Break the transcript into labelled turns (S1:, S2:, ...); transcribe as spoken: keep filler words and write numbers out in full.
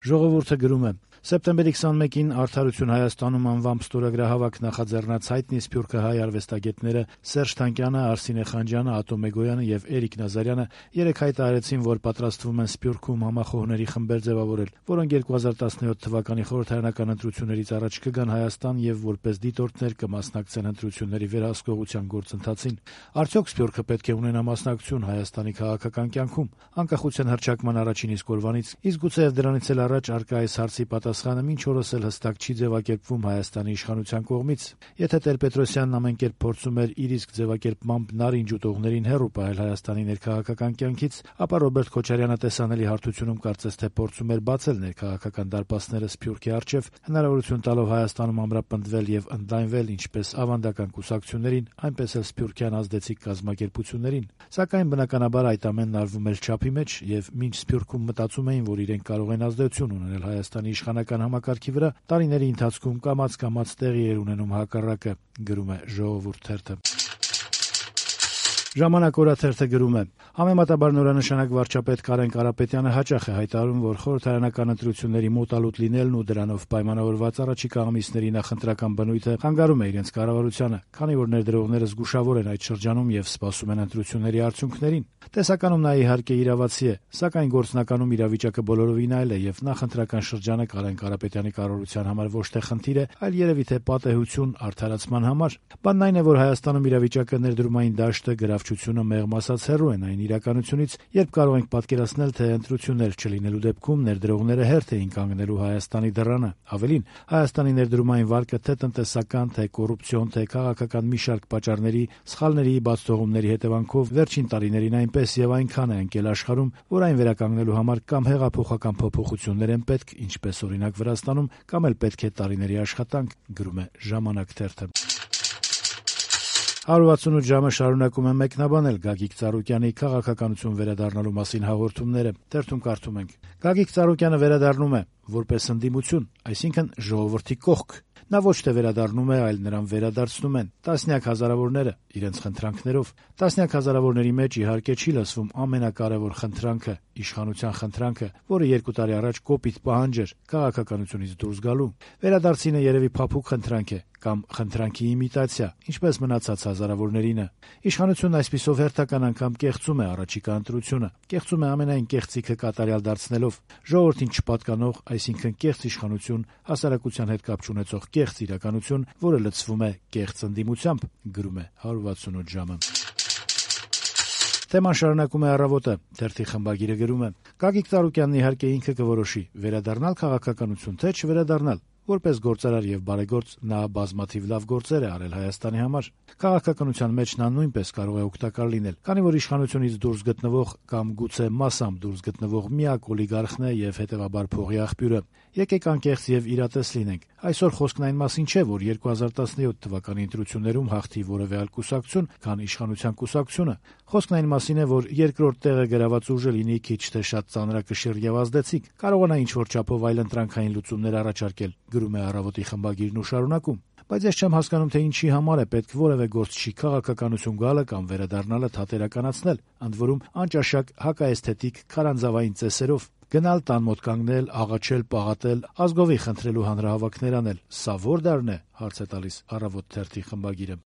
S1: Ժողովուրդը գրում է. Սեպտեմբերի քսանմեկին «Արդարություն Հայաստանում» անվամբ ստորագրահավաք նախաձեռնած հայտնի սփյուռքահայ արվեստագետները Սերժ Թանկյանը, Արսինե Խանջյանը, Ատո Մեգոյանը եւ Էրիկ Նազարյանը երեկ հայտարարեցին, որ պատրաստվում են Սփյուռքում համախոհների խմբեր ձեւավորել, որոնք երկու հազար տասնյոթ թվականի խորհրդարանական ընտրություններից առաջ կգան Հայաստան եւ որպես դիտորդներ կմասնակցեն ընտրությունների վերահսկողության գործընթացին։ Արդյոք Սփյուռքը պետք է ունենա մասնակցություն Հայաստանի քաղաքական կյանքում, անկախության հռչակման առաջին իսկ օրվանից, իսկ գուցեև դրանից էլ առաջ արկա այս հարցի պատասխանը մինչ օրս էլ հստակ չի ձևակերպվում Հայաստանի իշխանության կողմից։ Եթե Տեր-Պետրոսյանն ամեն կերպ փորձում էր իր իսկ ձևակերպմամբ նարինջ ուտողներին հեռու պահել Հայաստանի ներքաղաքական կյանքից, ապա Ռոբերտ Քոչարյանը տեսանելի հարթությունում կարծես թե փորձում էր բացել ներքաղաքական դարպասները Սփյուռքի առջև, հնարավորություն տալով Հայաստանում ամրապնդվել եւ ընդլայնվել ինչպես ավանդական կուսակցություններին, այնպես էլ սփյուռքյան ազդեցիկ կազմակերպություններին։ Սակայն բնականաբար այդ ամենն արվում էր չափի մեջ եւ մինչ Սփյուռքում մտածում էին, որ իրենք կարող են ազդեցություն ունենալ Հայաստանի իշխանական համակարգի վրա, տարիների ընթացքում կամաց-կամաց տեղի էր ունենում հակառակը, գրում է Ժողովուրդ թերթը։ Ժամանակ օրաթերթը գրում է. Համեմատաբար նորանշանակ վարչապետ Կարեն Կարապետյանը հաճախ է հայտարարում, որ խորհրդարանական ընտրությունների մոտալուտ լինելն ու դրանով պայմանավորված առաջիկա ամիսների նախընտրական բնույթը խանգարում է իրենց կառավարությանը, քանի որ ներդրողները զգուշավոր են այդ շրջանում եւ սպասում են ընտրությունների արդյունքներին։ Տեսականում նա իհարկե իրավացի է, սակայն գործնականում իրավիճակը բոլորովին այլ է եւ նախընտրական շրջանը Կարեն Կարապետյանի կառավարության համար ոչ թե խնդիր է, այլ երևի թե պատեհություն արդարացման համար։ Բանն այն է, որ Հայաստանում իրավիճակը ներդրումային դաշտը գրավչությունը մեղմ ասած հեռու են այն իրականությունից, երբ կարող ենք պատկերացնել, թե ընտրություններ չլինելու դեպքում ներդրողները հերթ էին կանգնելու Հայաստանի դռանը։ Ավելին, Հայաստանի ներդրումային վարկը թե տնտեսական, թե կոռուպցիոն, թե քաղաքական մի շարք պատճառների, սխալների, բացթողումների հետևանքով վերջին տարիներին այնպես եւ այնքան է ընկել աշխարհում, որ այն վերականգնելու համար կամ հեղափոխական փոփոխություններ են պետք, ինչպես օրինակ Վրաստանում, կամ էլ պետք է տարիների աշխատանք, գրում է Ժամանակ թերթը։ հարյուր վաթսունութ ժամը շարունակում է մեկնաբանել Գագիկ Ծառուկյանի քաղաքականություն վերադառնալու մասին հաղորդումները։ Թերթում կարդում ենք. Գագիկ Ծառուկյանը վերադառնում է որպես ընդդիմություն, այսինքն ժողովրդի կողք։ Նա ոչ թե վերադառնում է, այլ նրան վերադարձնում են տասնյակ հազարավորները իրենց խնդրանքներով։ Տասնյակ հազարավորների մեջ իհարկե չի լսվում ամենակարևոր խնդրանքը, իշխանության խնդրանքը, որը երկու տարի առաջ կոպիտ պահանջ էր քաղաքականությունից դուրս գալու։ Վերադարձինը երևի փափուկ խնդրանք է կամ խնդրանքի իմիտացիա, ինչպես մնացած հազարավորներինը։ Իշխանությունն այսպիսով հերթական անգամ կեղծում է առաջիկա ընտրությունը, կեղծում է ամենայն կեղծիքը կատարյալ դարձնելով, ժողովրդին չպատկանող, այսինքն կեղծ իշխանություն, հասարակության հետ կապ չունեցող կեղծ իրականություն, որը լցվում է կեղծ ընդդիմությամբ, գրում է հարյուր վաթսունութ ժամը։ Թեման շարունակում է Առավոտը, թերթի խմբագիրը գրում է. Գագիկ Ծառուկյանն իհարկե ինքը կորոշի վերադառնալ քաղաքականություն, թե չվերադառնալ։ Որպես գործարար եւ բարեգործ նա բազմաթիվ լավ գործեր է արել Հայաստանի համար։ Քաղաքականության մեջ նա նույնպես կարող է օգտակար լինել, քանի որ իշխանությունից դուրս գտնվող կամ գուցե մասամբ դուրս գտնվող միակ օլիգարխն է եւ հետեւաբար փողի աղբյուրը։ Եկեք անկեղծ եւ իրատես լինենք։ Այսօր խոսքն այն մասին չէ, որ երկու հազար տասնյոթ թվականի ընտրություններում հաղթի որևէ այլ կուսակցություն, քան իշխանության կուսակցությունը։ Խոսքն այն մասին է, որ երկրորդ տեղը գրաված ուժը լինի քիչ թե շատ ծանրակշիռ եւ ազդեցիկ, կարողանա ինչ-որ չափով այլ ընտրանքային լուծումներ առաջարկել, գրում է Առավոտի խմբագիրն ու շարունակում։ Բայց ես չեմ հասկանում, թե ինչի համար է պետք որևէ գործչի քաղաքականություն գալը կամ վերադառնալը թատերականացնել, ընդ որում անճաշակ հակաէսթետիկ քարանձավային ծեսերով։ Գնալ տան մոտ կանգնել, աղաչել, պաղատել, ազգովի խնդրելու հանրահավաքներ անել, սա ո՞ր դարն է, հարց է տալիս Առավոտ թերթի խմբագիրը։